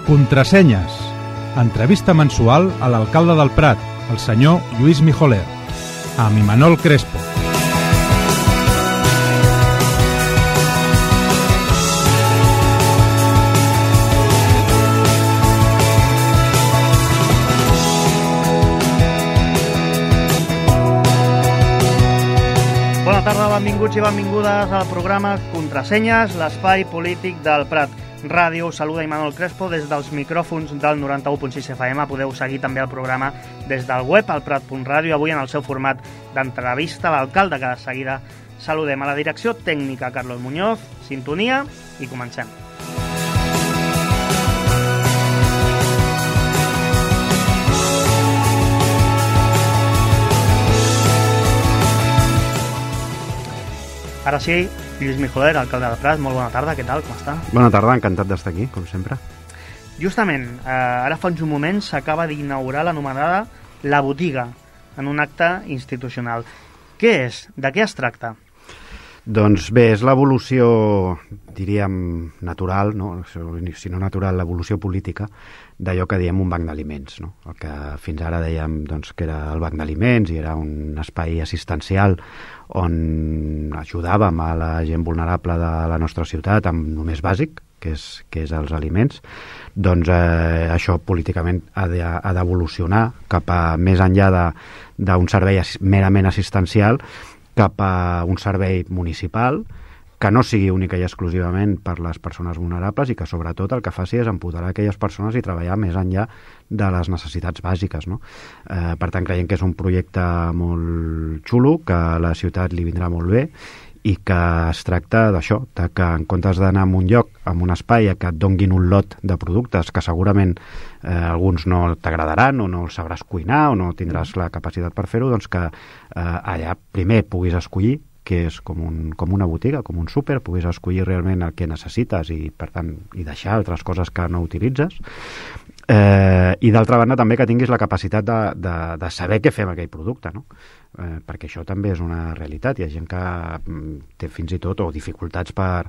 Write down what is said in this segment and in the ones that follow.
Contrasenyes. Entrevista mensual a l'alcalde del Prat, el senyor Lluís Mijoler, amb Imanol Crespo. Bona tarda, benvinguts i benvingudes al programa Contrasenyes, l'espai polític del Prat Ràdio. Saluda Imanol Crespo des dels micròfons del 91.6 FM. Podeu seguir també el programa des del web, al prat.ràdio, avui en el seu format d'entrevista a l'alcalde, que de seguida saludem. A la direcció tècnica, Carlos Muñoz, sintonia i comencem. Ara sí, Lluís Mijoler, alcalde del Prat, molt bona tarda, què tal, com està? Bona tarda, encantat d'estar aquí, com sempre. Justament, ara fa uns moments s'acaba d'inaugurar l'anomenada La Botiga, en un acte institucional. Què és? De què es tracta? Doncs bé, és l'evolució, diríem, natural, no? Si no natural, l'evolució política d'allò que diem un banc d'aliments, no? El que fins ara dèiem doncs, que era el banc d'aliments i era un espai assistencial on ajudàvem a la gent vulnerable de la nostra ciutat amb només bàsic, que és els aliments. Doncs això políticament ha d'evolucionar cap a més enllà d'un servei merament assistencial, cap a un servei municipal que no sigui única i exclusivament per les persones vulnerables i que sobretot el que faci és empoderar aquelles persones i treballar més enllà de les necessitats bàsiques, no? Per tant, creiem que és un projecte molt xulo, que a la ciutat li vindrà molt bé i que es tracta d'això, que en comptes d'anar a un lloc, a un espai, que et donguin un lot de productes que segurament alguns no t'agradaran o no els sabràs cuinar o no tindràs la capacitat per fer-ho, doncs que allà primer puguis escollir, que és com una botiga, com un súper, puguis escollir realment el que necessites i, per tant, i deixar altres coses que no utilitzes. I d'altra banda també que tinguis la capacitat de saber què fer amb aquell producte, no? Perquè això també és una realitat. Hi ha gent que té fins i tot o dificultats per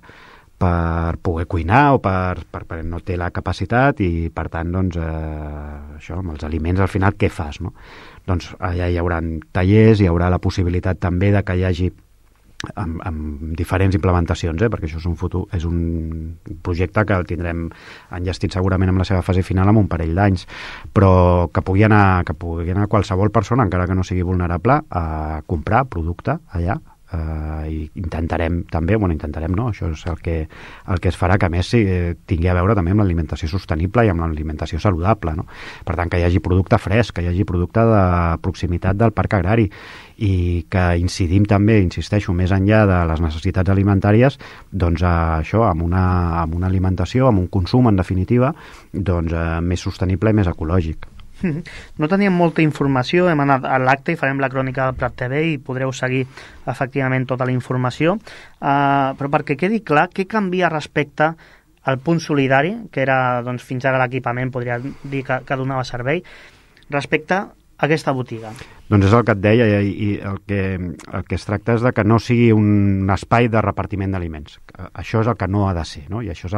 poder cuinar o per no té la capacitat i, per tant, doncs, això, amb els aliments, al final, què fas, no? Doncs allà hi haurà tallers, hi haurà la possibilitat també de que hi hagi amb diferents implementacions, perquè això és un projecte que el tindrem enllestit segurament amb la seva fase final en un parell d'anys, però que pugui anar qualsevol persona, encara que no sigui vulnerable, a comprar producte allà. I intentarem també, no, això és el que es farà, que a més tingui a veure també amb l'alimentació sostenible i amb l'alimentació saludable, no? Per tant, que hi hagi producte fresc, que hi hagi producte de proximitat del parc agrari i que incidim també, insisteixo, més enllà de les necessitats alimentàries, doncs això, amb una alimentació, amb un consum, en definitiva, doncs més sostenible i més ecològic. No teníem molta informació, hem anat a l'acte i farem la crònica del Prat TV i podreu seguir efectivament tota la informació, però perquè quedi clar, què canvia respecte al punt solidari, que era doncs, fins ara l'equipament, podria dir que donava servei, respecte a aquesta botiga? Doncs és el que et deia, i el que es tracta és de que no sigui un espai de repartiment d'aliments. Això és el que no ha de ser, no? I això és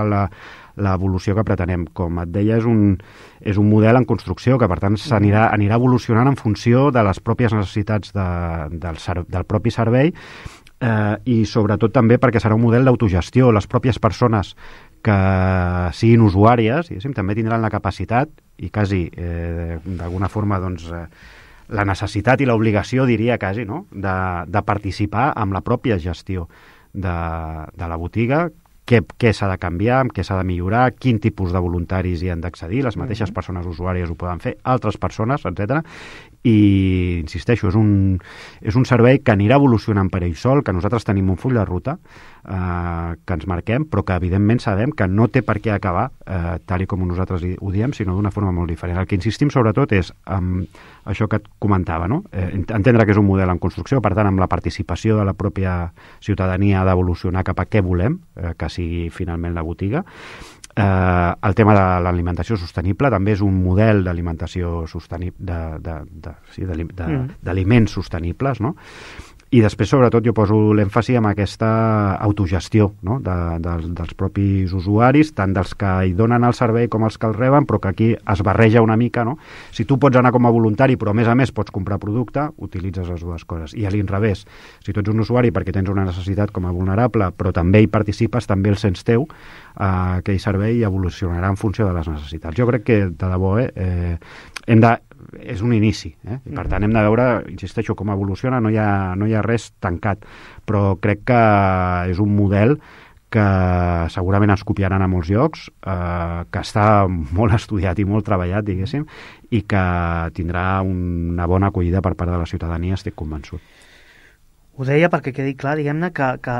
l'evolució que pretenem. Com et deia, és un model en construcció que, per tant, anirà evolucionant en funció de les pròpies necessitats del propi servei i, sobretot, també perquè serà un model d'autogestió. Les pròpies persones que siguin usuàries, també tindran la capacitat i quasi, d'alguna forma, doncs, la necessitat i l'obligació, diria quasi, no?, de participar amb la pròpia gestió de la botiga, què s'ha de canviar, què s'ha de millorar, quin tipus de voluntaris hi han d'accedir, les mateixes persones usuàries ho poden fer, altres persones, etc. I, insisteixo, és un servei que anirà evolucionant per ell sol, que nosaltres tenim un full de ruta que ens marquem, però que evidentment sabem que no té per què acabar tal i com nosaltres ho diem, sinó d'una forma molt diferent. El que insistim sobretot és això que et comentava, no? Entendre que és un model en construcció, per tant, amb la participació de la pròpia ciutadania ha d'evolucionar cap a què volem, que sigui finalment la botiga. El tema de l'alimentació sostenible també és un model d'alimentació sostenible, d'aliments sostenibles, no? I després, sobretot, jo poso l'èmfasi en aquesta autogestió, no? dels propis usuaris, tant dels que hi donen el servei com els que el reben, però que aquí es barreja una mica, no? Si tu pots anar com a voluntari, però a més pots comprar producte, utilitzes les dues coses. I a l'inrevés, si tu ets un usuari perquè tens una necessitat com a vulnerable, però també hi participes, també el sents teu, aquell servei evolucionarà en funció de les necessitats. Jo crec que, de debò, és un inici, i per tant hem de veure, insisteixo, com evoluciona, no hi ha res tancat, però crec que és un model que segurament ens copiaran a molts llocs, que està molt estudiat i molt treballat, diguéssim, i que tindrà una bona acollida per part de la ciutadania, estic convençut. Ho deia perquè quedi clar, diguem-ne, que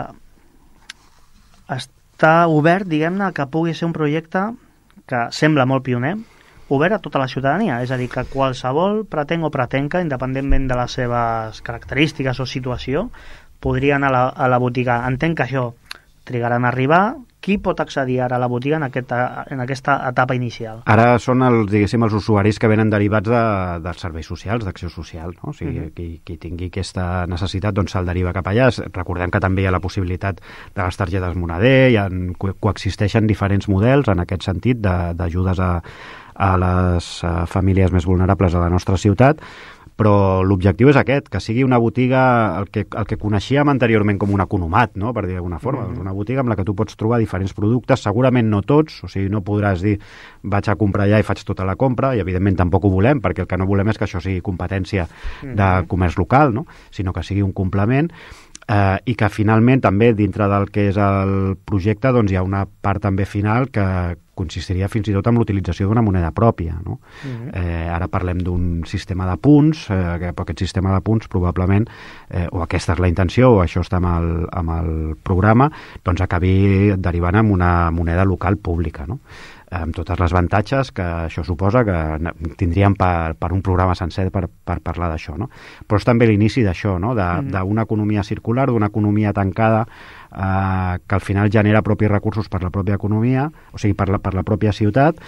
està obert, diguem-ne, que pugui ser un projecte que sembla molt pioner, obert a tota la ciutadania, és a dir, que qualsevol pretenc o pretenca, independentment de les seves característiques o situació, podria anar a la botiga. Entenc que això trigaran a arribar. Qui pot accedir ara a la botiga en aquesta etapa inicial? Ara són els usuaris que venen derivats dels serveis socials, d'acció social, no? O sigui, qui tingui aquesta necessitat doncs se'l deriva cap allà. Recordem que també hi ha la possibilitat de les targetes moneder, coexisteixen diferents models en aquest sentit d'ajudes a les famílies més vulnerables de la nostra ciutat, però l'objectiu és aquest, que sigui una botiga, el que coneixíem anteriorment com un economat, no? Per dir d'alguna forma, una botiga amb la que tu pots trobar diferents productes, segurament no tots, o sigui, no podràs dir vaig a comprar allà i faig tota la compra, i evidentment tampoc ho volem, perquè el que no volem és que això sigui competència de comerç local, no? Sinó que sigui un complement, i que finalment també dintre del que és el projecte doncs hi ha una part també final que consistiria fins i tot en l'utilització d'una moneda pròpia, no? Ara parlem d'un sistema de punts, però aquest sistema de punts probablement, o aquesta és la intenció, o això està amb el programa, doncs acabi derivant en una moneda local pública, no? Amb totes les avantatges que això suposa, que tindríem per un programa sencer per parlar d'això, no? Però és també l'inici d'això, no? D'una economia circular, d'una economia tancada, que al final genera propis recursos per la pròpia economia, o sigui, per la pròpia ciutat,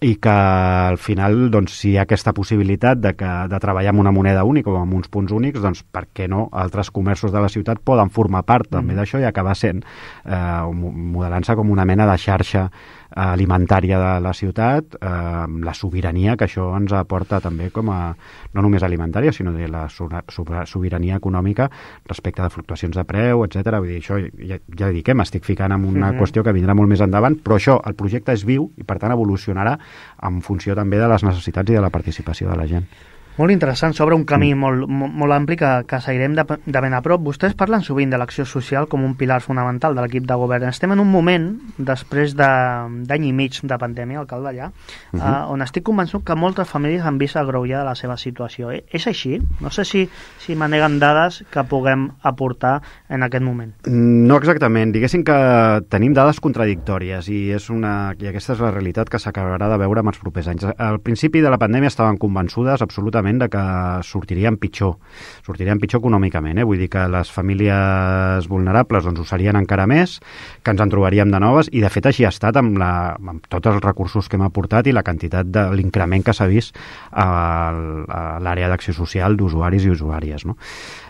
i que al final, doncs, si hi ha aquesta possibilitat de treballar amb una moneda única o amb uns punts únics, doncs per què no altres comerços de la ciutat poden formar part també d'això i acabar sent, modelant-se com una mena de xarxa alimentària de la ciutat, la sobirania que això ens aporta també com a, no només alimentària, sinó de la sobirania econòmica respecte de fluctuacions de preu, etc. Vull dir, això ja dic, m'estic ficant en una qüestió que vindrà molt més endavant, però això, el projecte és viu i per tant evolucionarà en funció també de les necessitats i de la participació de la gent. Molt interessant, s'obre un camí molt ampli que seguirem de ben a prop. Vostès parlen sovint de l'acció social com un pilar fonamental de l'equip de govern. Estem en un moment, després d'any i mig de pandèmia, alcalde allà, on estic convençut que moltes famílies han vist agreujada la seva situació. És així? No sé si maneguen dades que puguem aportar en aquest moment. No exactament. Diguéssim que tenim dades contradictòries i aquesta és la realitat que s'acabarà de veure en els propers anys. Al principi de la pandèmia estaven convençudes absolutament de que sortirien pitjor econòmicament, vull dir que les famílies vulnerables doncs ho serien encara més, que ens en trobaríem de noves, i de fet així ha estat amb tots els recursos que hem aportat i la quantitat de l'increment que s'ha vist a l'àrea d'acció social d'usuaris i usuàries, no?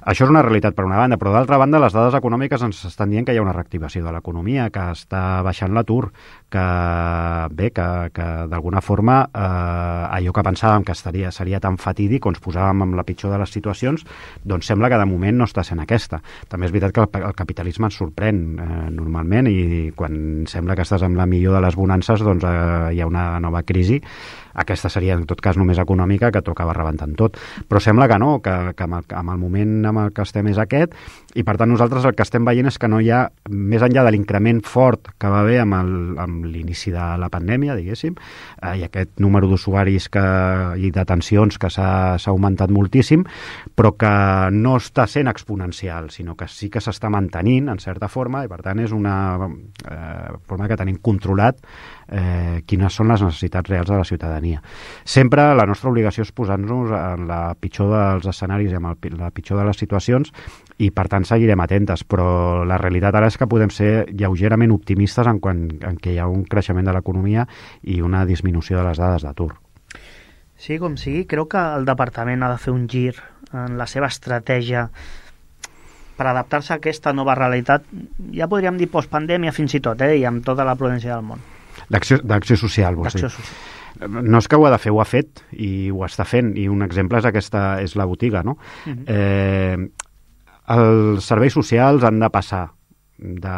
Això és una realitat per una banda, però d'altra banda les dades econòmiques ens estan dient que hi ha una reactivació de l'economia, que està baixant l'atur, que d'alguna forma allò que pensàvem que seria tan fatídic o ens posàvem amb la pitjor de les situacions, doncs sembla que de moment no està sent aquesta. També és veritat que el capitalisme ens sorprèn normalment, i quan sembla que estàs amb la millor de les bonances doncs hi ha una nova crisi. Aquesta seria en tot cas només econòmica, que t'ho acaba rebentant tot. Però sembla que no, que amb el moment amb el que estem és aquest, i per tant nosaltres el que estem veient és que no hi ha, més enllà de l'increment fort que va haver amb l'inici de la pandèmia, diguéssim, i aquest número d'usuaris i d'atencions que s'ha augmentat moltíssim, però que no està sent exponencial, sinó que sí que s'està mantenint en certa forma, i per tant és una forma que tenim controlat quines són les necessitats reals de la ciutadania. Sempre la nostra obligació és posar-nos en la pitjor dels escenaris i en la pitjor de les situacions, i per tant seguirem atentes, però la realitat ara és que podem ser lleugerament optimistes en què hi ha un creixement de l'economia i una disminució de les dades d'atur. Sí, com sigui, creu que el departament ha de fer un gir en la seva estratègia per adaptar-se a aquesta nova realitat, ja podríem dir postpandèmia fins i tot, i amb tota la prudència del món. D'acció social, vols dir? No és que ho ha de fer, ho ha fet i ho està fent, i un exemple és la botiga, no? Els serveis socials han de passar de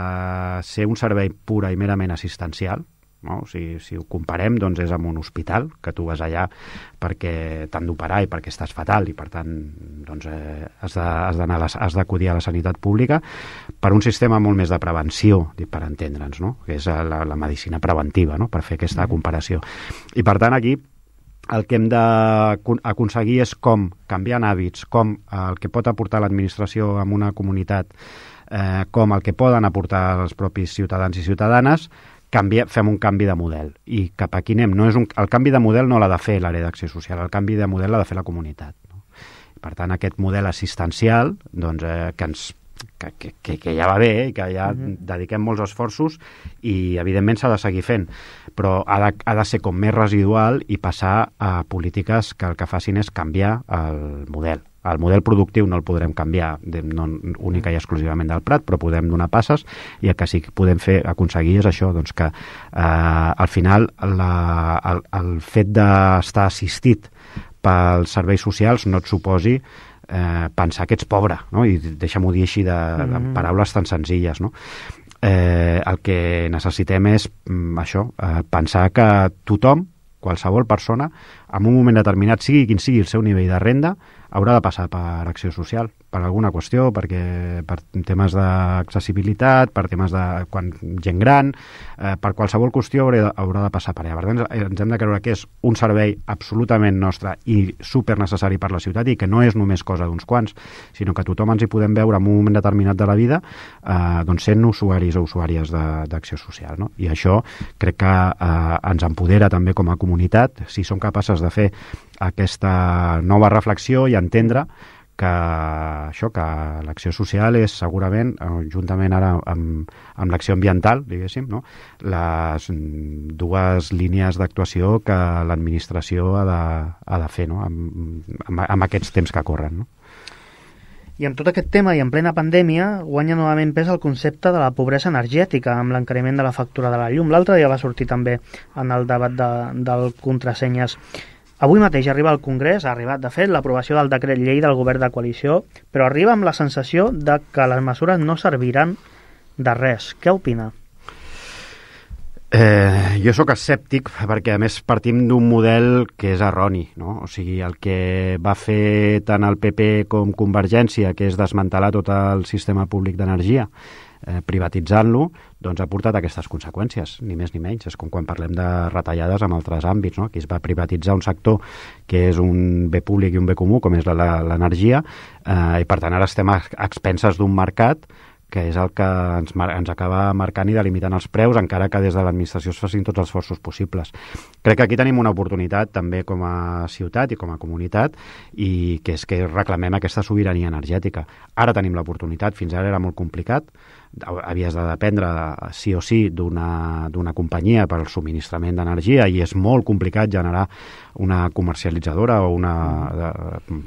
ser un servei pura i merament assistencial, no? Si ho comparem, doncs és amb un hospital, que tu vas allà perquè t'han d'operar i perquè estàs fatal i per tant doncs, has d'acudir a la sanitat pública, per un sistema molt més de prevenció, per entendre'ns, no? Que és la medicina preventiva, no? Per fer aquesta comparació. I per tant aquí el que hem d'aconseguir és com canviant hàbits, com el que pot aportar l'administració en una comunitat, com el que poden aportar els propis ciutadans i ciutadanes, fem un canvi de model. I cap aquí anem. El canvi de model no l'ha de fer l'àrea d'acció social, el canvi de model l'ha de fer la comunitat. No? Per tant, aquest model assistencial, doncs, que ja va bé i que ja dediquem molts esforços i, evidentment, s'ha de seguir fent, però ha de ser com més residual i passar a polítiques que el que facin és canviar el model. El model productiu no el podrem canviar no única i exclusivament del Prat, però podem donar passes, i el que sí que podem aconseguir és això, doncs que al final el fet d'estar assistit pels serveis socials no et suposi pensar que ets pobre, no? I deixa'm-ho dir així de paraules tan senzilles, no? El que necessitem és això, pensar que tothom, qualsevol persona, en un moment determinat, sigui quin sigui el seu nivell de renda, haurà de passar per acció social, per alguna qüestió, per temes d'accessibilitat, per temes de gent gran, per qualsevol qüestió haurà de passar per allà. Per tant, ens hem de creure que és un servei absolutament nostre i super necessari per la ciutat, i que no és només cosa d'uns quants, sinó que tothom ens hi podem veure en un moment determinat de la vida, doncs sent usuaris o usuàries d'acció social, no? I això crec que ens empodera també com a comunitat, si som capaces de fer aquesta nova reflexió i entendre que l'acció social és segurament, juntament ara amb l'acció ambiental, diguéssim, no? Les dues línies d'actuació que l'administració ha de fer, no? Amb aquests temps que corren, no? I amb tot aquest tema i en plena pandèmia guanya novament pes el concepte de la pobresa energètica amb l'encariment de la factura de la llum. L'altre dia va sortir també en el debat del contrasenyes. Avui mateix arriba al Congrés, ha arribat de fet l'aprovació del decret llei del govern de coalició, però arriba amb la sensació de que les mesures no serviran de res. Què opina? Jo sóc escèptic perquè, a més, partim d'un model que és erroni, no? O sigui, el que va fer tant el PP com Convergència, que és desmantelar tot el sistema públic d'energia, privatitzant-lo, doncs ha portat aquestes conseqüències, ni més ni menys. És com quan parlem de retallades en altres àmbits, no? Aquí es va privatitzar un sector que és un bé públic i un bé comú, com és l'energia, i per tant ara estem a expenses d'un mercat que és el que ens acaba marcant i delimitant els preus, encara que des de l'administració es facin tots els esforços possibles. Crec que aquí tenim una oportunitat també com a ciutat i com a comunitat, i que és que reclamem aquesta sobirania energètica. Ara tenim l'oportunitat, fins ara era molt complicat, havies de dependre sí o sí d'una companyia per al subministrament d'energia, i és molt complicat generar una comercialitzadora o una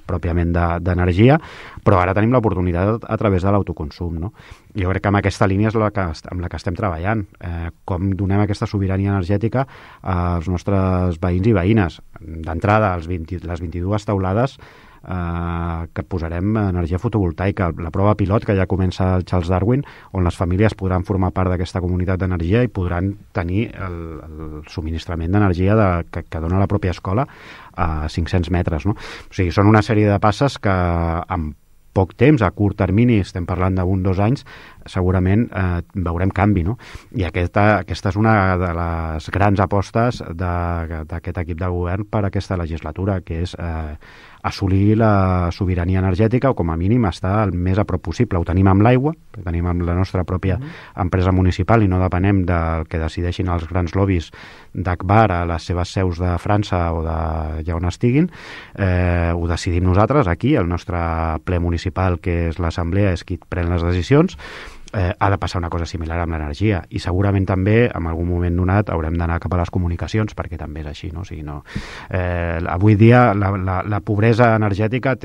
pròpiament d'energia, però ara tenim l'oportunitat a través de l'autoconsum, no? Jo crec que amb aquesta línia és amb la que estem treballant. Com donem aquesta sobirania energètica als nostres veïns i veïnes. D'entrada, les 22 taulades que posarem energia fotovoltaica, la prova pilot que ja comença el Charles Darwin, on les famílies podran formar part d'aquesta comunitat d'energia i podran tenir el subministrament d'energia que dona la pròpia escola a 500 metres, no? O sigui, són una sèrie de passes que amb poc temps, a curt termini, estem parlant d'1 o 2 anys, segurament veurem canvi, no? I aquesta és una de les grans apostes d'aquest equip de govern per aquesta legislatura, que és assolir la sobirania energètica, o com a mínim estar el més a prop possible. Ho tenim amb l'aigua, ho tenim amb la nostra pròpia empresa municipal, i no depenem del que decideixin els grans lobbies d'Agbar a les seves seus de França o d'allà on estiguin. Ho decidim nosaltres aquí, el nostre ple municipal, que és l'assemblea, és qui pren les decisions, ha de passar una cosa similar amb l'energia, i segurament també en algun moment donat haurem d'anar cap a les comunicacions, perquè també és així, no? O sigui, no, avui dia la pobresa energètica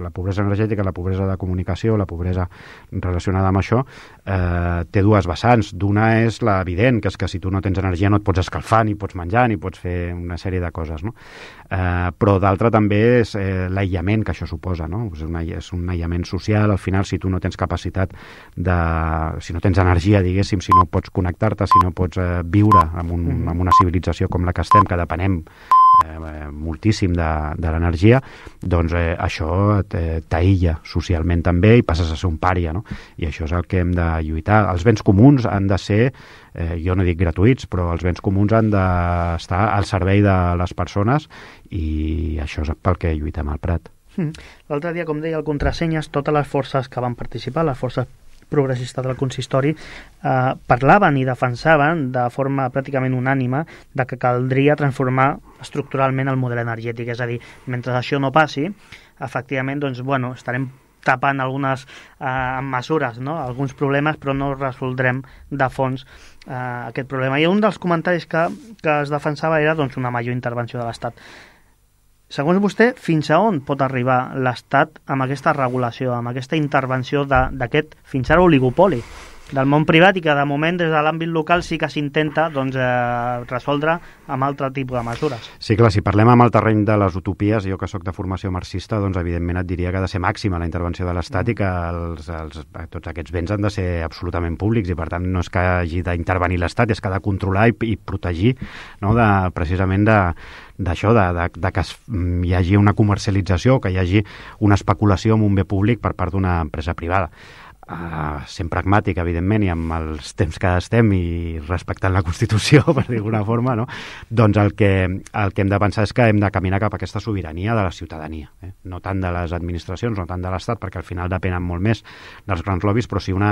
la pobresa de comunicació, la pobresa relacionada amb això, té dues vessants. D'una és l'evident, que és que si tu no tens energia no et pots escalfar, ni pots menjar, ni pots fer una sèrie de coses, no? Però d'altra també és l'aïllament que això suposa, no? És un aïllament social. Al final, si tu no tens capacitat si no tens energia, diguéssim, si no pots connectar-te, si no pots viure en una civilització com la que estem, que depenem moltíssim de l'energia, doncs això t'aïlla socialment també i passes a ser un pària, no? I això és el que hem de lluitar. Els béns comuns han de ser, jo no dic gratuïts, però els béns comuns han d'estar al servei de les persones, i això és pel que lluitem al Prat. L'altre dia, com deia el Contrasenyes, totes les forces que van participar, les forces progressistes del consistori, parlaven i defensaven de forma pràcticament unànime de que caldria transformar estructuralment el model energètic. És a dir, mentre això no passi, efectivament, doncs, bueno, estarem tapant algunes mesures, no? Alguns problemes, però no resoldrem de fons aquest problema. I un dels comentaris que es defensava era, doncs, una major intervenció de l'Estat. Segons vostè, fins a on pot arribar l'Estat amb aquesta regulació, amb aquesta intervenció d'aquest, fins ara, oligopoli del món privat, i que de moment des de l'àmbit local sí que s'intenta resoldre amb altre tipus de mesures? Sí, clar, si parlem amb el terreny de les utopies, jo que sóc de formació marxista, doncs evidentment et diria que ha de ser màxima la intervenció de l'Estat i que tots aquests béns han de ser absolutament públics, i per tant no és que hagi d'intervenir l'Estat, és que ha de controlar i protegir, no? Precisament d'això, de que hi hagi una comercialització, que hi hagi una especulació amb un bé públic per part d'una empresa privada. Sent pragmàtic, evidentment, i amb els temps que estem i respectant la Constitució, per dir d'alguna forma, no? Doncs el que hem de pensar és que hem de caminar cap a aquesta sobirania de la ciutadania, no tant de les administracions, no tant de l'Estat, perquè al final depenen molt més dels grans lobbies, però sí que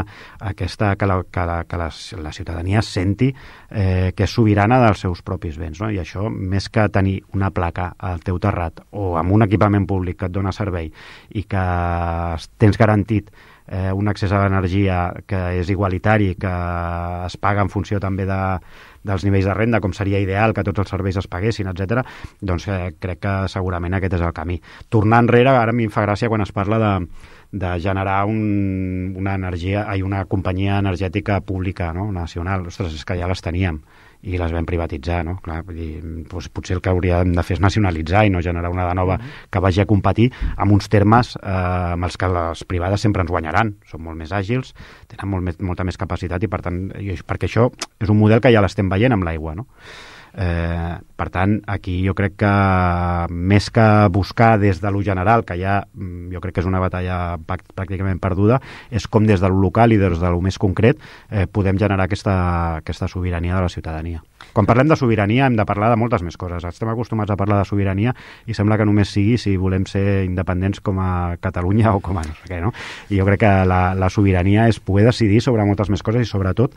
la ciutadania senti que és sobirana dels seus propis béns, no? I això, més que tenir una placa al teu terrat o amb un equipament públic que et dona servei i que tens garantit un accés a l'energia que és igualitari, que es paga en funció també dels nivells de renda, com seria ideal que tots els serveis es paguessin, etc. Doncs crec que segurament aquest és el camí. Tornar enrere, ara a mi em fa gràcia quan es parla de generar una companyia energètica pública, no? Nacional. Ostres, és que ja les teníem i les vam privatitzar, no? Clar, vull dir, doncs potser el que hauríem de fer és nacionalitzar i no generar una de nova que vagi a competir amb uns termes amb els que les privades sempre ens guanyaran. Són molt més àgils, tenen molta més capacitat, i per tant, perquè això és un model que ja l'estem veient amb l'aigua, no? Per tant, aquí jo crec que més que buscar des de lo general, que ja jo crec que és una batalla pràcticament perduda, és com des de lo local i des de lo més concret podem generar aquesta sobirania de la ciutadania. Quan parlem de sobirania hem de parlar de moltes més coses. Estem acostumats a parlar de sobirania i sembla que només sigui si volem ser independents com a Catalunya o com a no sé què, no? I jo crec que la sobirania és poder decidir sobre moltes més coses i sobretot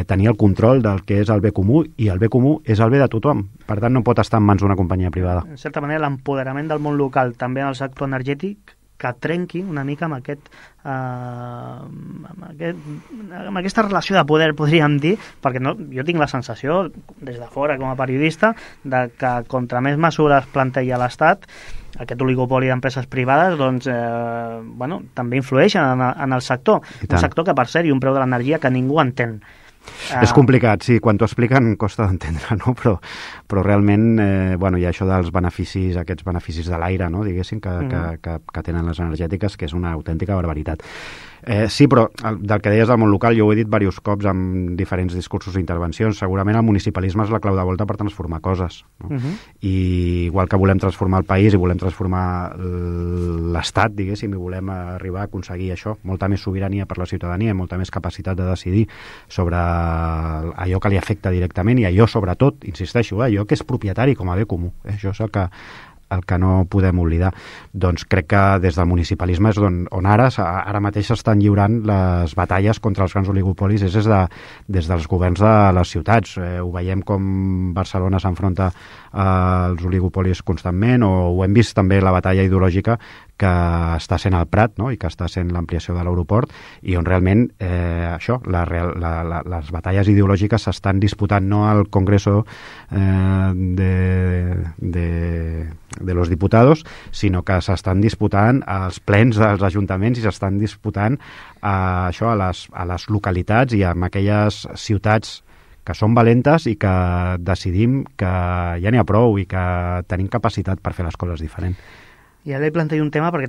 tenir el control del que és el bé comú, i el bé comú és el bé de tothom. Per tant, no pot estar en mans d'una companyia privada. En certa manera, l'empoderament del món local, també en el sector energètic, que trenqui una mica amb aquesta relació de poder, podríem dir, perquè jo tinc la sensació, des de fora com a periodista, de que contra més mesures planteja l'Estat, aquest oligopoli d'empreses privades, doncs, també influeixen en el sector. Un sector que, per cert, i un preu de l'energia que ningú entén. És complicat, sí, quan t'ho expliquen costa d'entendre, no? Però realment hi ha això dels beneficis, aquests beneficis de l'aire, no? Diguéssim, que tenen les energètiques, que és una autèntica barbaritat. Sí, però del que deies del món local, jo ho he dit diversos cops en diferents discursos i intervencions, segurament el municipalisme és la clau de volta per transformar coses, no? I igual que volem transformar el país i volem transformar l'Estat, diguéssim, i volem arribar a aconseguir això, molta més sobirania per la ciutadania i molta més capacitat de decidir sobre allò que li afecta directament, i allò, sobretot, insisteixo, allò que és propietari com a bé comú. Això és el que no podem oblidar. Doncs crec que des del municipalisme és on ara mateix s'estan lliurant les batalles contra els grans oligopolis, és des dels governs de les ciutats. Ho veiem com Barcelona s'enfronta als oligopolis constantment, o ho hem vist també la batalla ideològica que està sent el Prat, no? I que està sent l'ampliació de l'aeroport, i on realment això, les batalles ideològiques s'estan disputant no al Congreso de los Diputados, sinó que s'estan disputant als plens dels ajuntaments i s'estan disputant això a les localitats i en aquelles ciutats que són valentes i que decidim que ja n'hi ha prou i que tenim capacitat per fer les coses diferent. I ara li plantejo un tema perquè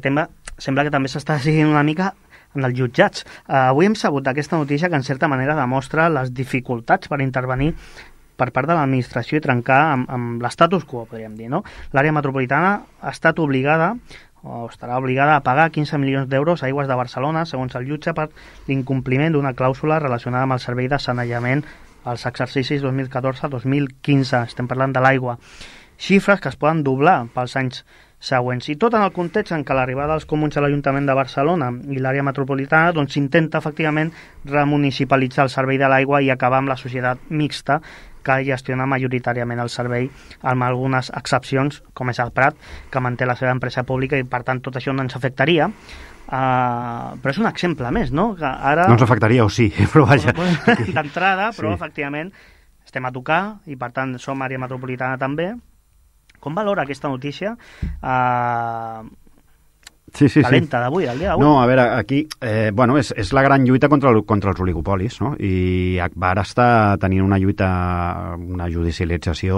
sembla que també s'està seguint una mica en els jutjats. Avui hem sabut aquesta notícia que en certa manera demostra les dificultats per intervenir per part de l'administració i trencar amb l'estatus quo, podríem dir, no? L'àrea metropolitana ha estat obligada o estarà obligada a pagar 15 milions d'euros a Aigües de Barcelona, segons el jutge, per l'incompliment d'una clàusula relacionada amb el servei de sanejament als exercicis 2014-2015. Estem parlant de l'aigua. Xifres que es poden doblar pels anys següents. I tot en el context en què l'arribada dels comuns a l'Ajuntament de Barcelona i l'àrea metropolitana doncs s'intenta efectivament remunicipalitzar el servei de l'aigua i acabar amb la societat mixta que gestiona majoritàriament el servei, amb algunes excepcions, com és el Prat, que manté la seva empresa pública i, per tant, tot això no ens afectaria. Però és un exemple més, no? Que ara... No ens afectaria, o sí, però vaja. D'entrada, però sí. Efectivament estem a tocar i per tant som àrea metropolitana també. Com valora aquesta notícia calenta d'avui, el dia d'avui? No, a veure, aquí és la gran lluita contra els oligopolis, no? I Agbar està tenint una lluita, una judicialització,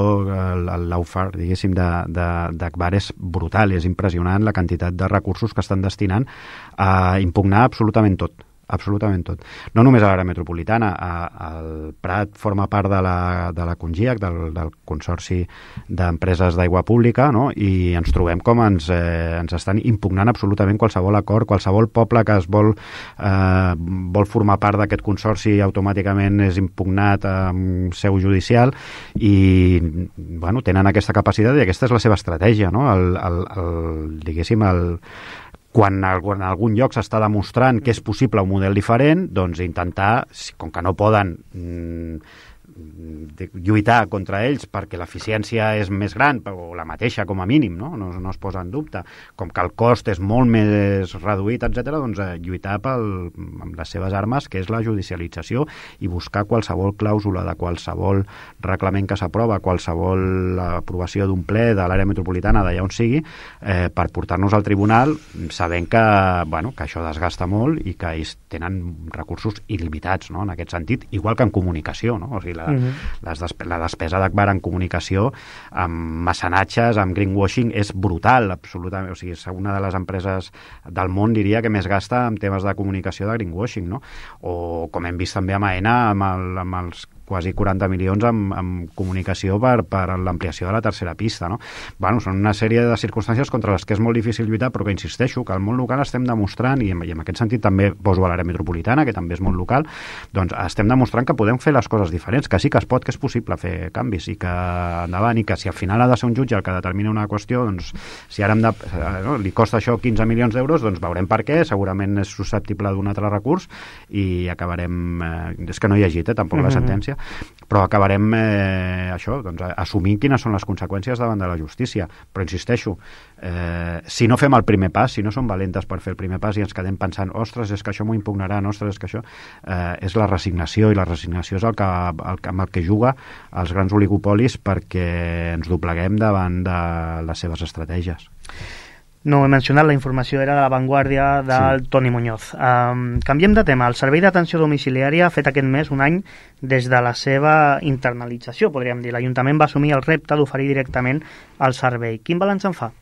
el lawfare, diguéssim, d'Agbar és brutal, és impressionant la quantitat de recursos que estan destinant a impugnar absolutament tot. No només a l'àrea metropolitana, el Prat forma part de la CONGIAC, del Consorci d'Empreses d'Aigua Pública, no? I ens trobem com ens estan impugnant absolutament qualsevol acord, qualsevol poble que es vol formar part d'aquest consorci automàticament és impugnat amb seu judicial i tenen aquesta capacitat i aquesta és la seva estratègia, no? Quan en algun lloc s'està demostrant que és possible un model diferent, doncs intentar, com que no poden lluitar contra ells perquè l'eficiència és més gran o la mateixa com a mínim, no es posa en dubte, com que el cost és molt més reduït, etc., doncs lluitar amb les seves armes, que és la judicialització, i buscar qualsevol clàusula de qualsevol reglament que s'aprova, qualsevol aprovació d'un ple de l'àrea metropolitana d'allà on sigui, per portar-nos al tribunal sabent que això desgasta molt i que ells tenen recursos il·limitats, no? En aquest sentit, igual que en comunicació, no? O sigui, la despesa d'Agbar en comunicació, amb mecenatges, amb greenwashing, és brutal, absolutament. O sigui, és una de les empreses del món, diria, que més gasta en temes de comunicació de greenwashing, no? O, com hem vist també a Aena, amb els quasi 40 milions amb comunicació per l'ampliació de la tercera pista, no? Són una sèrie de circumstàncies contra les que és molt difícil lluitar, però que insisteixo que al món local estem demostrant, i en aquest sentit també poso a l'àrea metropolitana, que també és món local, doncs estem demostrant que podem fer les coses diferents, que sí que es pot, que és possible fer canvis, i que endavant, i que si al final ha de ser un jutge el que determina una qüestió, doncs si ara li costa això 15 milions d'euros, doncs veurem per què, segurament és susceptible d'un altre recurs, i acabarem... és que no he llegit tampoc la sentència, però acabarem assumint quines són les conseqüències davant de la justícia. Però insisteixo, si no fem el primer pas, si no som valentes per fer el primer pas i ens quedem pensant, ostres, és que això m'ho impugnaran, ostres, és que això és la resignació, i la resignació és amb el que juga els grans oligopolis perquè ens dobleguem davant de les seves estratègies. No he mencionat, la informació era de La Vanguardia del Toni Muñoz. Canviem de tema. El Servei d'Atenció Domiciliària ha fet aquest mes un any des de la seva internalització, podríem dir. L'Ajuntament va assumir el repte d'oferir directament el servei. Quin balanç en fa?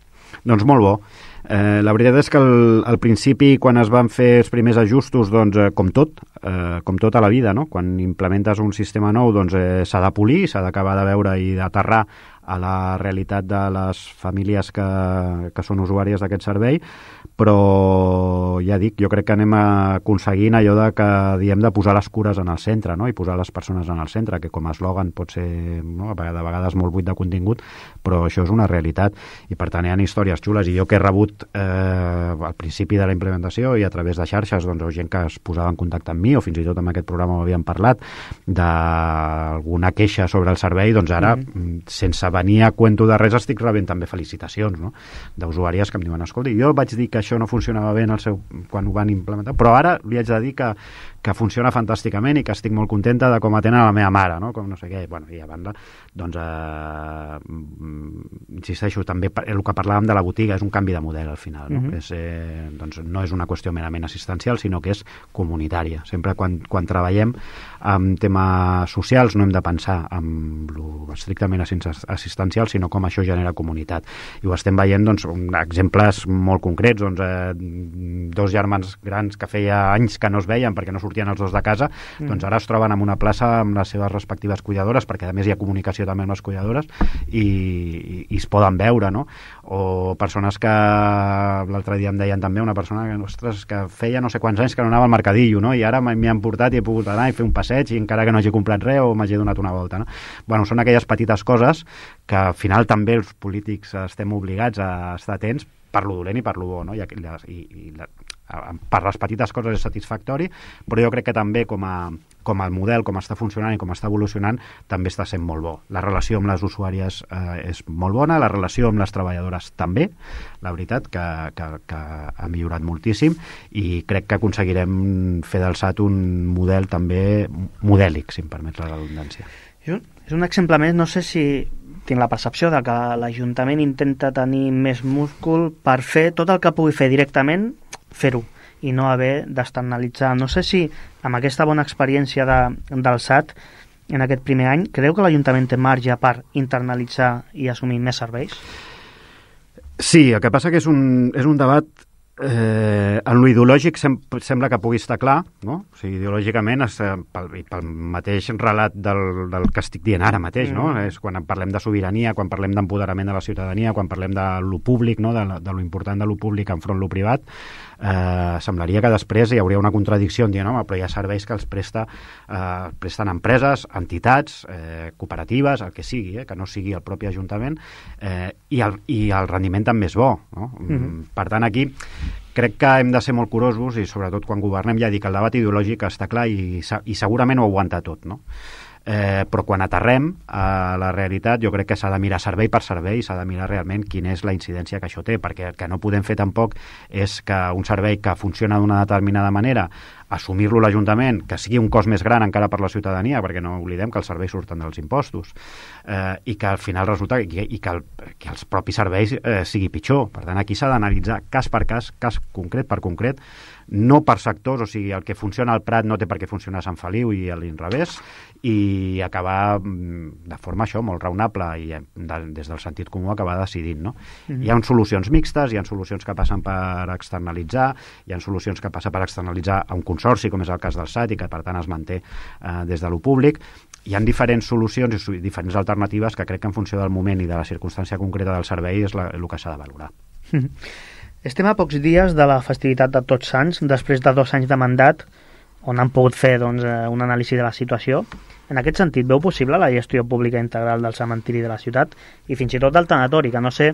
Doncs molt bo. La veritat és que al principi, quan es van fer els primers ajustos, doncs, com tot a la vida, no? Quan implementes un sistema nou, doncs s'ha de polir, s'ha d'acabar de veure i d'aterrar a la realitat de les famílies que són usuàries d'aquest servei, però ja dic, jo crec que anem aconseguint allò que diem de posar les cures en el centre, no? I posar les persones en el centre, que com a eslògan pot ser, no? De vegades molt buit de contingut, però això és una realitat, i per tant hi ha històries xules, i jo que he rebut sigut al principi de la implementació i a través de xarxes doncs, gent que es posava en contacte amb mi, o fins i tot en aquest programa ho havíem parlat, d'alguna queixa sobre el servei, doncs ara, sense venir a cuento de res, estic rebent també felicitacions, no? D'usuàries que em diuen, escolta, jo vaig dir que això no funcionava bé quan ho van implementar, però ara li haig de dir que funciona fantàsticament i que estic molt contenta de com atenen a la meva mare, no? Com no sé què. Bueno, i a banda, doncs, insisteixo, també el que parlàvem de la botiga és un canvi de model al final, no? Que és, doncs, no és una qüestió merament assistencial, sinó que és comunitària. Sempre quan treballem amb temes socials no hem de pensar en lo estrictament assistencial, sinó com això genera comunitat. I ho estem veient, doncs, exemples molt concrets, doncs, dos germans grans que feia anys que no es veien perquè no sortien els dos de casa, doncs ara es troben en una plaça amb les seves respectives cuidadores, perquè a més hi ha comunicació també amb les cuidadores i es poden veure, no? O persones que l'altre dia em deien també, una persona que, ostres, que feia no sé quants anys que no anava al mercadillo, no? I ara m'hi han portat i he pogut anar i fer un passeig i encara que no hagi comprat res o m'hagi donat una volta, no? Bueno, són aquelles petites coses que al final també els polítics estem obligats a estar atents per lo dolent i per lo bo, no? Per les petites coses és satisfactori, però jo crec que també com el model, com està funcionant i com està evolucionant, també està sent molt bo. La relació amb les usuàries és molt bona, la relació amb les treballadores també, la veritat, que ha millorat moltíssim i crec que aconseguirem fer del SAT un model també modèlic, si em permet la redundància. És un exemple més, no sé si tinc la percepció de que l'Ajuntament intenta tenir més múscul per fer tot el que pugui fer directament, fer-ho, i no haver d'externalitzar. No sé si amb aquesta bona experiència del SAT en aquest primer any, creu que l'Ajuntament té marge per internalitzar i assumir més serveis? Sí, el que passa que és un debat en lo ideològic sembla que pugui estar clar, no? O sigui, ideològicament pel mateix relat del que estic dient ara mateix, no? És quan parlem de sobirania, quan parlem d'empoderament de la ciutadania, quan parlem de lo públic, no? de lo important de lo públic enfront lo privat, semblaria que després hi hauria una contradicció en dir, home, però hi ha serveis que els presten empreses, entitats, cooperatives, el que sigui, que no sigui el propi Ajuntament, i el rendiment també és bo, no? Per tant, aquí crec que hem de ser molt curosos i sobretot quan governem, ja dic, el debat ideològic està clar i segurament ho aguanta tot, no? Però quan aterrem a la realitat jo crec que s'ha de mirar servei per servei i s'ha de mirar realment quina és la incidència que això té, perquè el que no podem fer tampoc és que un servei que funciona d'una determinada manera assumir-lo l'Ajuntament, que sigui un cost més gran encara per la ciutadania, perquè no oblidem que els serveis surten dels impostos, i que al final resulta que els propis serveis sigui pitjor. Per tant, aquí s'ha d'analitzar cas per cas concret per concret, no per sectors, o sigui, el que funciona al Prat no té per què funcionar a Sant Feliu i a l'inrevés, i acabar de forma molt raonable i des del sentit comú acabar decidint, no? Hi ha solucions mixtes, hi ha solucions que passen per externalitzar, hi ha solucions que passen per externalitzar a un consorci, com és el cas del SAT, i que per tant es manté des de lo públic. Hi ha diferents solucions i diferents alternatives que crec que en funció del moment i de la circumstància concreta del servei és el que s'ha de valorar. Estem a pocs dies de la festivitat de Tots Sants, després de 2 anys de mandat, on han pogut fer una anàlisi de la situació. En aquest sentit, veu possible la gestió pública integral del cementiri de la ciutat i fins i tot del tanatori, que no sé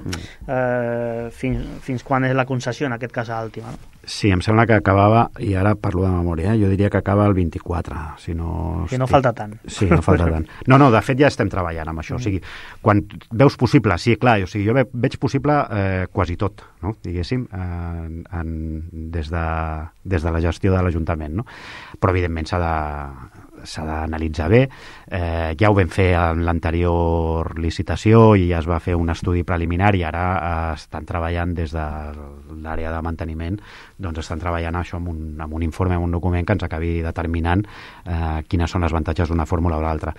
fins quan és la concessió, en aquest cas a Àltima, no? Sí, em sembla que acabava, i ara parlo de memòria, jo diria que acaba el 24, si no... Que no falta tant. Sí, no falta tant. No, de fet ja estem treballant amb això, o sigui, quan veus possible, sí, clar, o sigui, jo veig possible quasi tot, no?, diguéssim, des de la gestió de l'Ajuntament, no? Però evidentment s'ha d'analitzar bé. Ja ho vam fer en l'anterior licitació i es va fer un estudi preliminar i ara estan treballant des de l'àrea de manteniment, doncs estan treballant això amb un informe, amb un document que ens acabi determinant quines són els avantatges d'una fórmula o l'altra.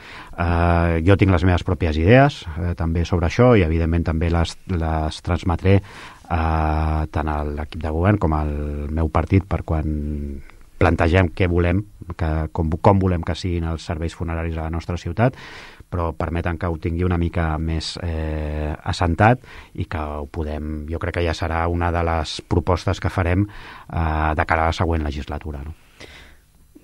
Jo tinc les meves pròpies idees també sobre això i evidentment també les transmetré tant a l'equip de govern com al meu partit per quan plantegem què volem, com volem que siguin els serveis funeraris a la nostra ciutat, però permeten que ho tingui una mica més assentat i que ho podem... Jo crec que ja serà una de les propostes que farem de cara a la següent legislatura, no?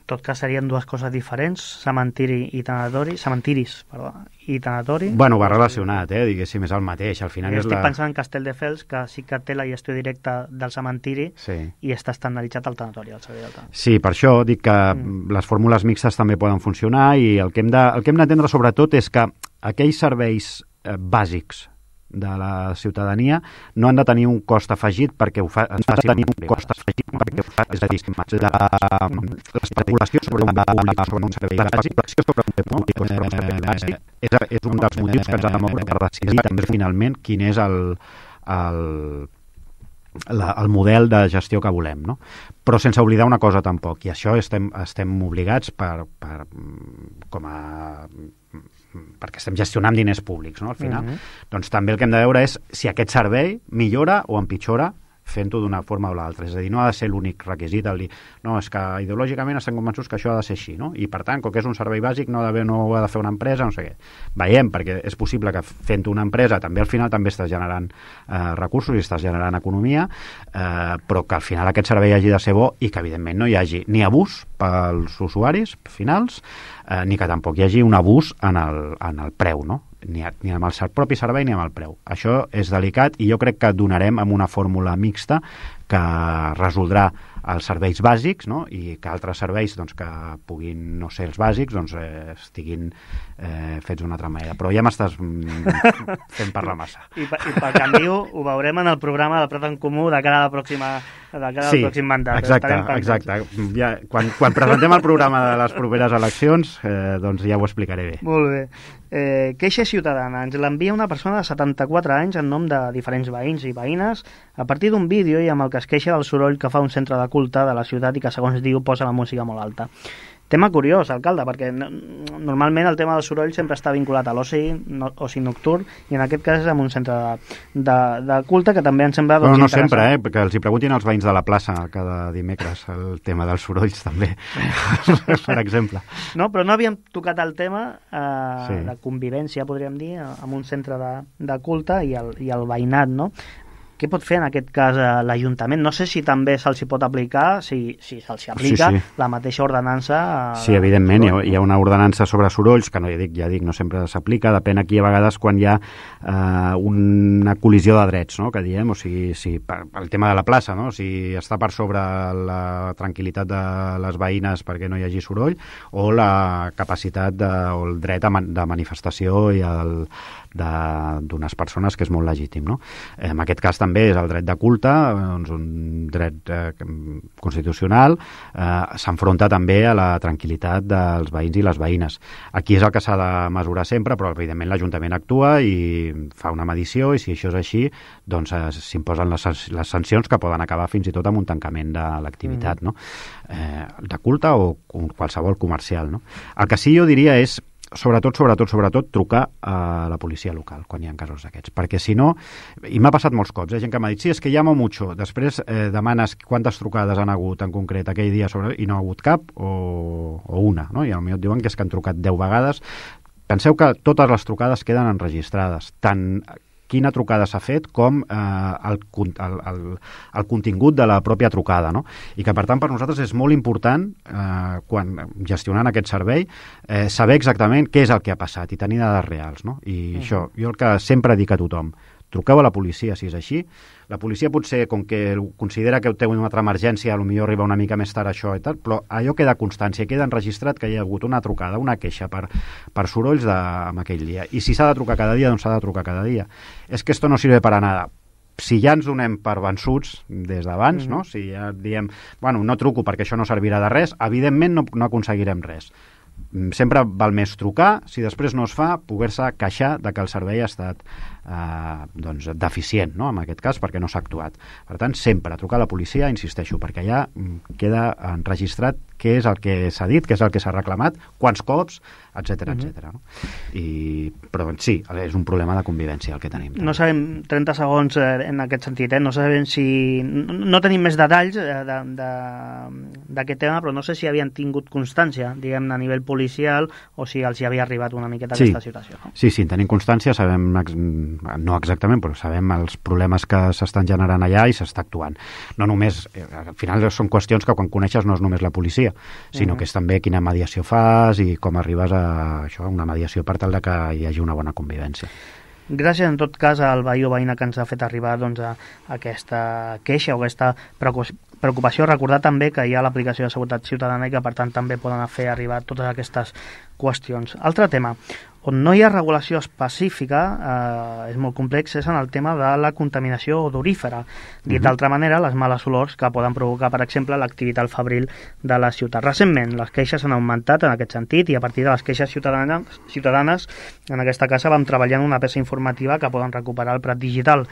tot cas serien dues coses diferents, cementiri i tanatori, cementiris, perdó, i tanatori. Bueno, va relacionat, diguéssim, és el mateix. Al final estic pensant en Castelldefels, que sí que té la gestió directa del cementiri i està estandarditzat al tanatori, al servei del tanatori. Sí, per això dic que les fórmules mixtes també poden funcionar i el que hem d'entendre sobretot és que aquells serveis bàsics de la ciutadania no han de tenir un cost afegit perquè ho fa, és a dir, l'especulació sobre un bé públic, sobre un servei bàsic, sobre un bé públic, és un dels motius que ens ha de moure per decidir també finalment quin és el model de gestió que volem, no? Però sense oblidar una cosa tampoc, i això estem obligats perquè estem gestionant diners públics, no? Al final, doncs també el que hem de veure és si aquest servei millora o empitjora fent-ho d'una forma o l'altra. És a dir, no ha de ser l'únic requisit el dir, no, és que ideològicament estem convençuts que això ha de ser així, no? I per tant, com que és un servei bàsic, no ho ha de fer una empresa, no sé què. Veiem, perquè és possible que fent una empresa també al final també estàs generant recursos i estàs generant economia, però que al final aquest servei hagi de ser bo i que evidentment no hi hagi ni abús pels usuaris finals, ni que tampoc hi hagi un abús en el preu, no? Ni amb el propi servei ni amb el preu. Això és delicat i jo crec que donarem amb una fórmula mixta que resoldrà els serveis bàsics, no? I que altres serveis doncs, que puguin no ser els bàsics doncs, estiguin fets d'una altra manera. Però ja m'estàs fent parlar massa. I pel canvi ho veurem en el programa del Prat en Comú de cara a la pròxima al pròxim mandat. Exacte. Ja, quan presentem el programa de les properes eleccions, doncs ja ho explicaré bé. Molt bé. Queixa ciutadana. Ens l'envia una persona de 74 anys en nom de diferents veïns i veïnes a partir d'un vídeo i amb el que es queixa del soroll que fa un centre de culte de la ciutat i que, segons diu, posa la música molt alta. Tema curiós, alcalde, perquè normalment el tema del soroll sempre està vinculat a l'oci nocturn i en aquest cas és amb un centre de culte que també em sembla doncs, no sempre, perquè els hi preguntin als veïns de la plaça cada dimecres el tema dels sorolls també, per exemple. No, però no havíem tocat el tema de convivència, podríem dir, amb un centre de culte i el veïnat, no? Què pot fer en aquest cas l'Ajuntament? No sé si també se'ls pot aplicar, si se'ls aplica la mateixa ordenança. Sí, evidentment, hi ha una ordenança sobre sorolls, que ja dic, no sempre s'aplica, depèn aquí a vegades quan hi ha una col·lisió de drets, no?, que diem, o sigui, el tema de la plaça, no?, si està per sobre la tranquil·litat de les veïnes perquè no hi hagi soroll, o la capacitat o el dret de manifestació i d'unes persones, que és molt legítim, no? En aquest cas també és el dret de culte, doncs un dret constitucional, s'enfronta també a la tranquil·litat dels veïns i les veïnes. Aquí és el que s'ha de mesurar sempre, però evidentment l'Ajuntament actua i fa una medició i si això és així, doncs s'imposen les sancions que poden acabar fins i tot amb un tancament de l'activitat, no? De culte o qualsevol comercial, no? El que sí jo diria és sobretot trucar a la policia local quan hi ha casos d'aquests, perquè si no, i m'ha passat molts cops, gent que m'ha dit, sí, és que llamo mucho, després demanes quantes trucades han hagut en concret aquell dia i no ha hagut cap o una, no? I potser et diuen que és que han trucat 10 vegades. Penseu que totes les trucades queden enregistrades, tant quina trucada s'ha fet com el contingut de la pròpia trucada, no? I que per tant per nosaltres és molt important quan gestionant aquest servei saber exactament què és el que ha passat i tenir dades reals, no? I això, jo el que sempre dic a tothom, truqueu a la policia si és així. La policia potser, com que considera que té una altra emergència, potser arriba una mica més tard això i tal, però allò queda constància, queda enregistrat que hi ha hagut una trucada, una queixa per sorolls en aquell dia. I si s'ha de trucar cada dia, doncs s'ha de trucar cada dia. És que esto no sirve para nada. Si ja ens donem per vençuts des d'abans, no? Si ja diem, bueno, no truco perquè això no servirà de res, evidentment no aconseguirem res. Sempre val més trucar, si després no es fa, poder-se queixar de que el servei ha estat doncs, deficient, no? En aquest cas, perquè no s'ha actuat. Per tant, sempre trucar a la policia, insisteixo, perquè allà queda enregistrat què és el que s'ha dit, què és el que s'ha reclamat, quants cops, etc. No? Però sí, és un problema de convivència el que tenim. No sabem, 30 segons en aquest sentit, no sabem si... No tenim més detalls d'aquest tema, però no sé si havien tingut constància, diguem-ne, a nivell policial o si els hi havia arribat una miqueta aquesta situació. No? Sí, en tenim constància, sabem, no exactament, però sabem els problemes que s'estan generant allà i s'està actuant. No només, al final són qüestions que quan coneixes no és només la policia, sinó que és també quina mediació fas i com arribes a això, una mediació per tal de que hi hagi una bona convivència. Gràcies, en tot cas, al veí o veïna que ens ha fet arribar doncs, a aquesta queixa o aquesta preocupació. Recordar també que hi ha l'aplicació de seguretat ciutadana i que, per tant, també poden fer arribar totes aquestes qüestions. Altre tema, on no hi ha regulació específica, és molt complex, és en el tema de la contaminació odorífera. Dit d'altra manera, les males olors que poden provocar, per exemple, l'activitat fabril de la ciutat. Recentment, les queixes han augmentat en aquest sentit i a partir de les queixes ciutadanes en aquesta casa vam treballar en una peça informativa que poden recuperar al Prat Digital.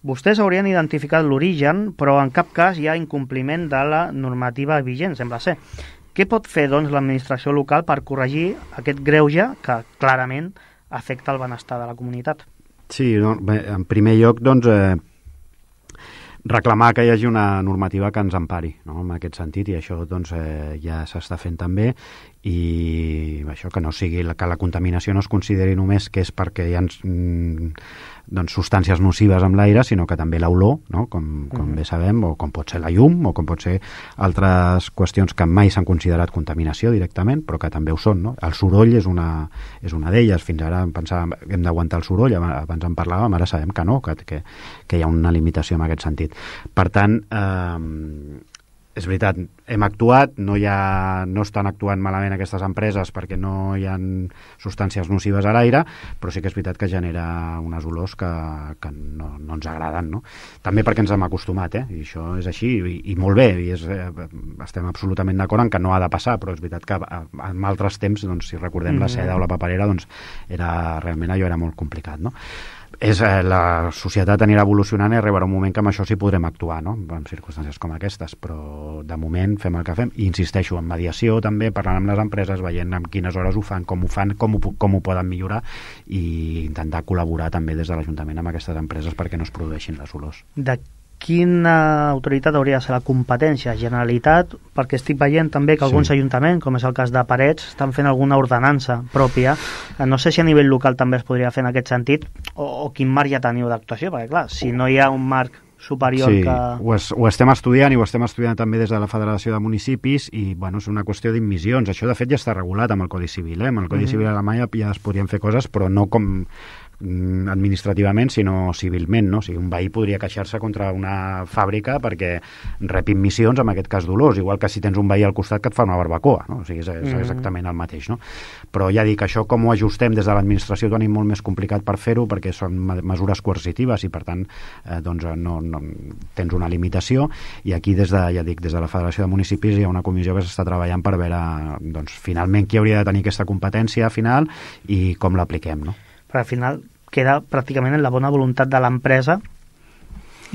Vostès haurien identificat l'origen, però en cap cas hi ha incompliment de la normativa vigent, sembla ser. Què pot fer, doncs, l'administració local per corregir aquest greuge que clarament afecta el benestar de la comunitat? Sí, bé, en primer lloc, doncs, reclamar que hi hagi una normativa que ens empari, no?, en aquest sentit, i això doncs, ja s'està fent també, i això que no sigui que la contaminació no es consideri només que és perquè hi ha doncs, substàncies nocives amb l'aire, sinó que també l'olor, no?, com bé sabem, o com pot ser la llum, o com pot ser altres qüestions que mai s'han considerat contaminació directament, però que també ho són, no? El soroll és una d'elles. Fins ara pensàvem que hem d'aguantar el soroll, abans en parlàvem, ara sabem que no, que hi ha una limitació en aquest sentit. Per tant, és veritat, hem actuat, no estan actuant malament aquestes empreses perquè no hi ha substàncies nocives a l'aire, però sí que és veritat que genera unes olors que no ens agraden, no? També perquè ens hem acostumat, i això és així, i molt bé, i estem absolutament d'acord en que no ha de passar, però és veritat que en altres temps, doncs, si recordem la seda o la paperera, doncs realment allò era molt complicat, no? La societat anirà evolucionant i arribarà un moment que amb això sí podrem actuar, no?, en circumstàncies com aquestes, però de moment fem el que fem, i insisteixo, en mediació també, parlant amb les empreses, veient en quines hores ho fan, com ho poden millorar, i intentar col·laborar també des de l'Ajuntament amb aquestes empreses perquè no es produeixin les olors. De quina autoritat hauria de ser la competència? Generalitat? Perquè estic veient també que alguns ajuntaments, com és el cas de Parets, estan fent alguna ordenança pròpia. No sé si a nivell local també es podria fer en aquest sentit, o quin marc ja teniu d'actuació, perquè clar, si no hi ha un marc superior que... Ho estem estudiant, i ho estem estudiant també des de la Federació de Municipis, i bueno, és una qüestió d'immissions. Això de fet ja està regulat amb el Codi Civil, amb el Codi Civil alemany ja es podrien fer coses, però no com administrativament, sinó civilment, no? O sigui, un veí podria queixar-se contra una fàbrica perquè rep immissions, en aquest cas dolors, igual que si tens un veí al costat que et fa una barbacoa, no? O sigui, és exactament el mateix, no? Però ja dic, això com ho ajustem des de l'administració ho tenim molt més complicat per fer-ho, perquè són mesures coercitives i per tant doncs no tens una limitació, i aquí des de la Federació de Municipis hi ha una comissió que s'està treballant per veure doncs, finalment qui hauria de tenir aquesta competència final i com l'apliquem, no? Però al final queda pràcticament en la bona voluntat de l'empresa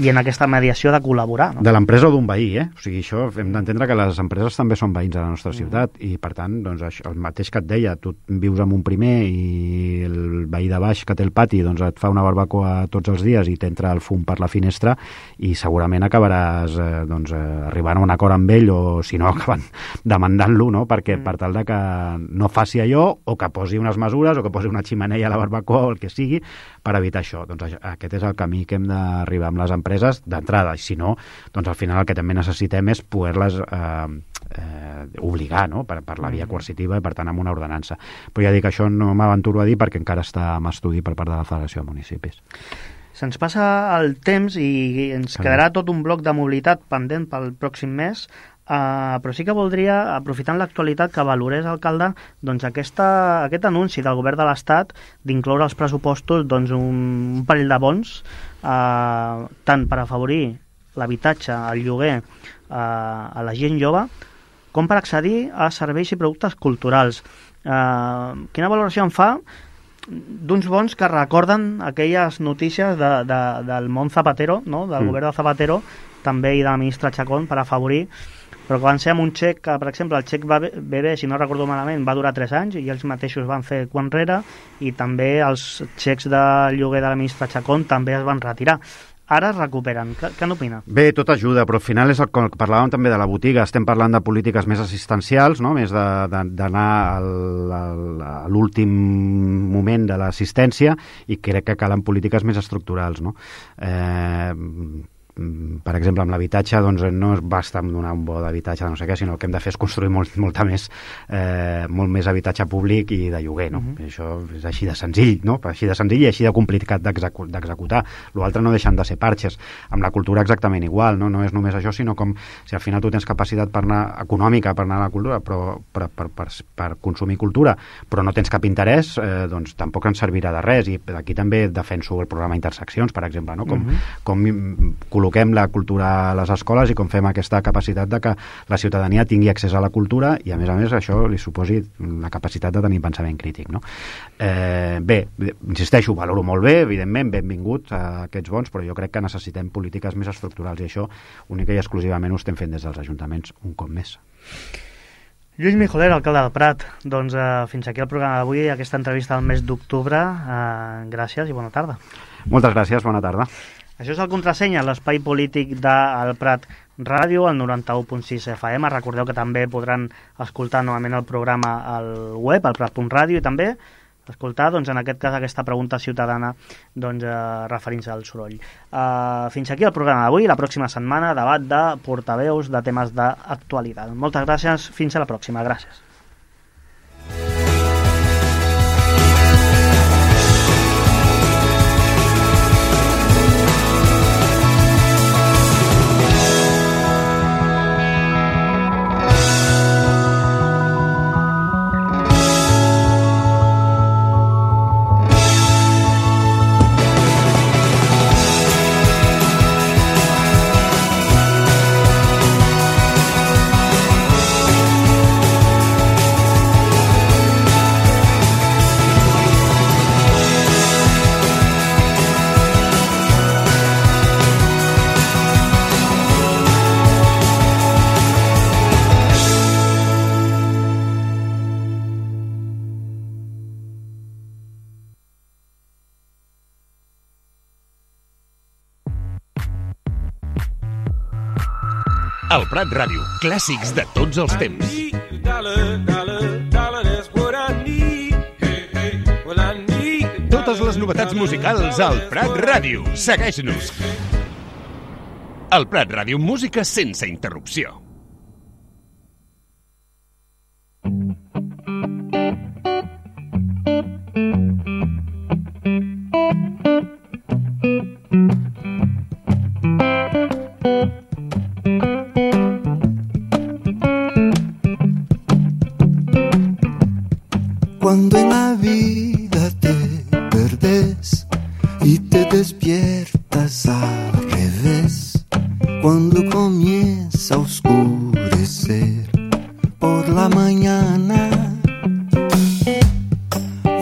i en aquesta mediació de col·laborar, no? De l'empresa o d'un veí, O sigui, això hem d'entendre que les empreses també són veïns de la nostra ciutat, i per tant, doncs, això, el mateix que et deia, tu vius amb un primer i el veí de baix que té el pati doncs et fa una barbacoa tots els dies i t'entra el fum per la finestra, i segurament acabaràs arribant a un acord amb ell, o si no acabant demandant-lo, no? Perquè per tal de que no faci allò, o que posi unes mesures, o que posi una xemeneia a la barbacoa, o el que sigui, per evitar això. Doncs aquest és el camí que hem d'arribar amb les empreses d'entrada, i si no, doncs al final el que també necessitem és poder-les obligar, no?, per la via coercitiva i per tant amb una ordenança. Però ja dic, això no m'aventuro a dir perquè encara està en estudi per part de la Federació de Municipis. Se'ns passa el temps i ens quedarà tot un bloc de mobilitat pendent pel pròxim mes, però sí que voldria, aprofitant l'actualitat, que valorés, alcalde, doncs aquest anunci del govern de l'Estat d'incloure als pressupostos doncs, un parell de bons, tant per afavorir l'habitatge, el lloguer a la gent jove, com per accedir a serveis i productes culturals. Quina valoració en fa d'uns bons que recorden aquelles notícies del món Zapatero, no? Del govern de Zapatero, també, i de la ministra Chacón, per afavorir, però que van ser amb un xec que, per exemple, el xec bebè, si no recordo malament, va durar 3 anys i ells mateixos van fer enrere, i també els xecs de lloguer de la ministra Chacón també es van retirar. ara es recuperen. Què n'opina? Bé, tot ajuda, però al final és com parlàvem també de la botiga, estem parlant de polítiques més assistencials, no? Més d'anar a l'últim moment de l'assistència, i crec que calen polítiques més estructurals, no? Per exemple, amb l'habitatge, doncs no basta amb donar un bo d'habitatge de no sé què, sinó el que hem de fer és construir molt més habitatge públic i de lloguer, no? Això és així de senzill, no? Així de senzill i així de complicat d'executar. L'altre no deixen de ser parxes. Amb la cultura exactament igual, no? No és només això, sinó com si al final tu tens capacitat econòmica per anar a la cultura, però per consumir cultura, però no tens cap interès, doncs tampoc ens servirà de res. I aquí també defenso el programa Interseccions, per exemple, no? Com col·loquem la cultura a les escoles i com fem aquesta capacitat de que la ciutadania tingui accés a la cultura i, a més, això li suposi la capacitat de tenir pensament crític, no? Bé, insisteixo, valoro molt bé, evidentment, benvingut a aquests bons, però jo crec que necessitem polítiques més estructurals i això única i exclusivament ho estem fent des dels ajuntaments un cop més. Lluís Mijoler, alcalde del Prat, doncs fins aquí el programa d'avui, aquesta entrevista del mes d'octubre. Gràcies i bona tarda. Moltes gràcies, bona tarda. Això és el Contrasenya, l'espai polític del Prat Ràdio, al 91.6 FM. Recordeu que també podran escoltar novament el programa al web, al prat.ràdio, i també escoltar, doncs, en aquest cas, aquesta pregunta ciutadana, doncs, referint-se al soroll. Fins aquí el programa d'avui. La pròxima setmana, debat de portaveus de temes d'actualitat. Moltes gràcies. Fins a la pròxima. Gràcies. El Prat Ràdio, clàssics de tots els temps. Totes les novetats musicals al Prat Ràdio. Segueix-nos. El Prat Ràdio, música sense interrupció. Cuando en la vida te perdes y te despiertas al revés, cuando comienza a oscurecer por la mañana,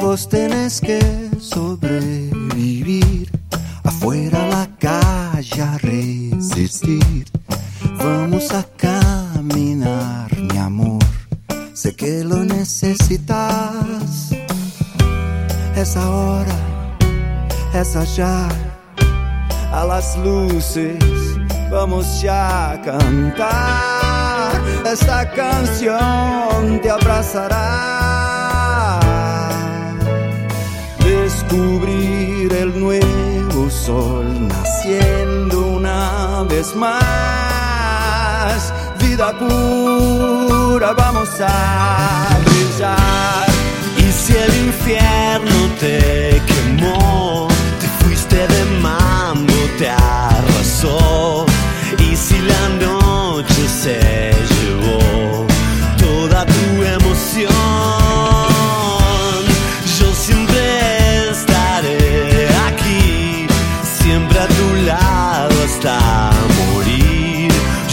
vos tenés que sobrevivir, afuera la calle a resistir. Vamos a caminar, mi amor, sé que lo necesitas. Es ahora, es allá, a las luces vamos ya a cantar. Esta canción te abrazará. Descubrir el nuevo sol naciendo una vez más. Vida pura, vamos a brillar. Y si el infierno te quemó, te fuiste de mambo, te arrasó. Y si la noche se llevó toda tu emoción, yo siempre estaré aquí, siempre a tu lado hasta morir.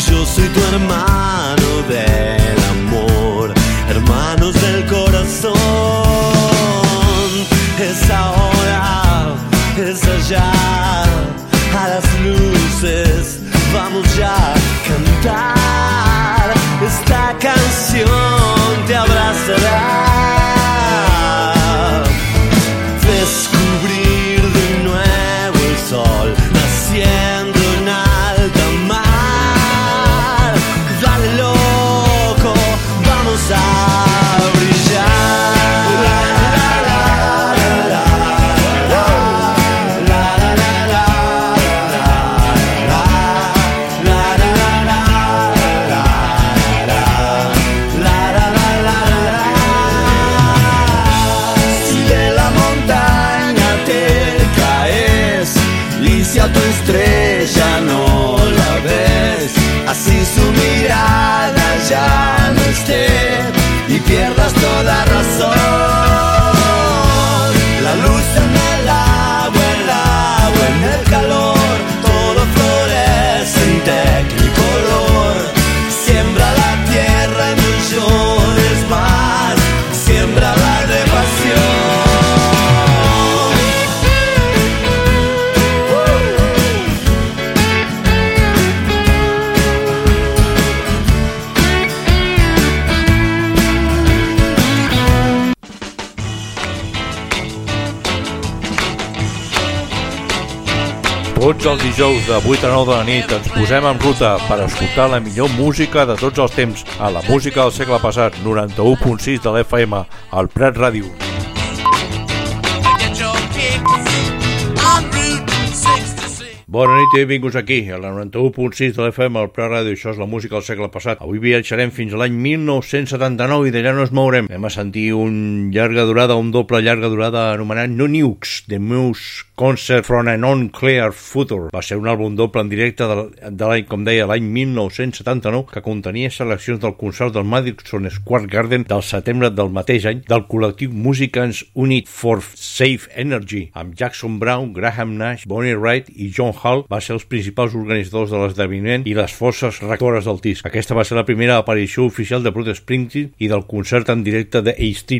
Yo soy tu hermano del amor, hermanos del corazón. Es ahora. tendrás toda razón. La luz en el agua en el calor, todo florece en tecnicolor. Siembra la tierra, no llores más, siembra la de pasión. Tots els dijous de 8 a 9 de la nit ens posem en ruta per escoltar la millor música de tots els temps a la música del segle passat, 91.6 de l'FM, al Prat Ràdio. Bona nit i benvinguts aquí, a la 91.6 de l'FM, al Prat Ràdio. Això és la música del segle passat. Avui viatjarem fins a l'any 1979 i d'allà no ens mourem. Anem a sentir un doble llarga durada anomenat No Nukes, The Muse Concert from an Unclear Future. Va ser un àlbum doble en directe de l'any, com deia, l'any 1979, que contenia seleccions del concert del Madison Square Garden del setembre del mateix any del col·lectiu Musicians Unit for Safe Energy, amb Jackson Browne, Graham Nash, Bonnie Raitt i John Hall va ser els principals organitzadors de l'esdeveniment i les forces rectores del disc. Aquesta va ser la primera aparició oficial de Bruce Springsteen i del concert en directe de A Street